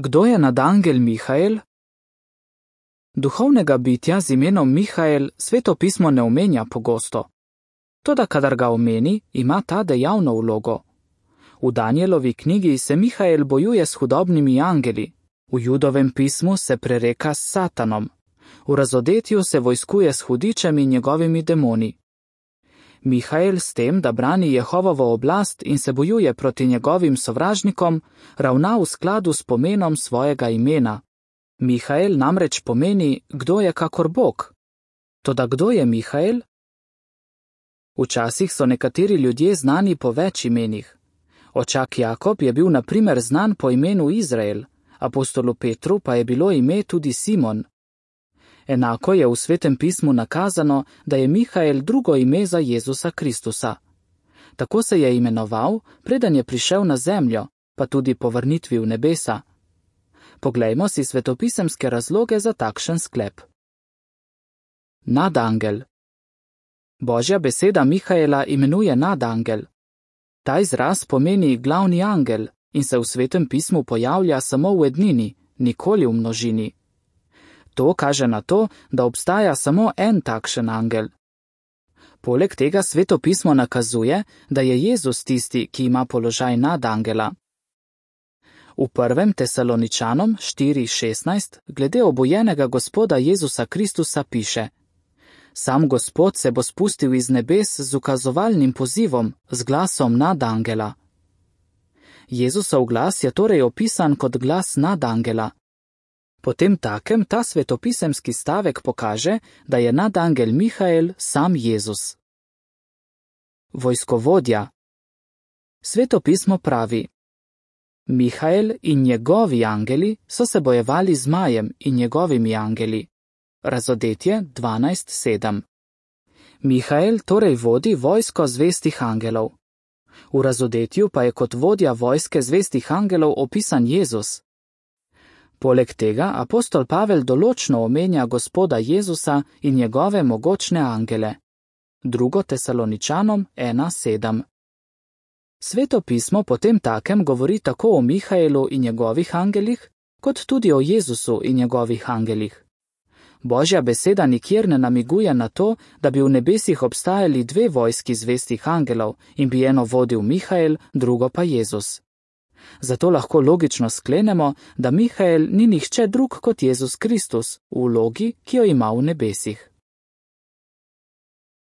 Kdo je nadangel Mihael? Duhovnega bitja z imenom Mihael Sveto pismo ne omenja pogosto. Toda kadar ga omeni, ima ta dejavno vlogo. V Danielovi knjigi se Mihael bojuje s hudobnimi angeli, v Judovem pismu se prereka s Satanom, v Razodetju se vojskuje s hudičem in njegovimi demoni. Mihael s tem, da brani Jehovovo oblast in se bojuje proti njegovim sovražnikom, ravna v skladu s pomenom svojega imena. Mihael namreč pomeni, kdo je kakor Bog. Toda kdo je Mihael? Včasih so nekateri ljudje znani po več imenih. Očak Jakob je bil na primer znan po imenu Izrael, apostolu Petru pa je bilo ime tudi Simon. Enako je v Svetem pismu nakazano, da je Mihael drugo ime za Jezusa Kristusa. Tako se je imenoval, preden je prišel na zemljo, pa tudi po vrnitvi v nebesa. Poglejmo si svetopisemske razloge za takšen sklep. Nadangel. Božja beseda Mihaela imenuje nadangel. Ta izraz pomeni glavni angel in se v Svetem pismu pojavlja samo v ednini, nikoli v množini. To kaže na to, da obstaja samo en takšen angel. Poleg tega Sveto pismo nakazuje, da je Jezus tisti, ki ima položaj nadangela. V 1. Tesaloničanom 4:16 glede obojenega Gospoda Jezusa Kristusa piše: Sam Gospod se bo spustil iz nebes z ukazovalnim pozivom, z glasom nadangela. Jezusov glas je torej opisan kot glas nadangela. Potem takem ta svetopisemski stavek pokaže, da je nadangel Mihael sam Jezus. Vojskovodja. Sveto pismo pravi: Mihael in njegovi angeli so se bojevali z zmajem in njegovimi angeli. Razodetje 12:7. Mihael torej vodi vojsko zvestih angelov. V Razodetju pa je kot vodja vojske zvestih angelov opisan Jezus. Poleg tega apostol Pavel določno omenja Gospoda Jezusa in njegove mogočne angele. 2. Tesaloničanom 1:7. Sveto pismo potem takem govori tako o Mihaelu in njegovih angelih, kot tudi o Jezusu in njegovih angelih. Božja beseda nikjer ne namiguje na to, da bi v nebesih obstajali dve vojski zvestih angelov in bi eno vodil Mihael, drugo pa Jezus. Zato lahko logično sklenemo, da Mihael ni nihče drug kot Jezus Kristus v vlogi, ki jo ima v nebesih.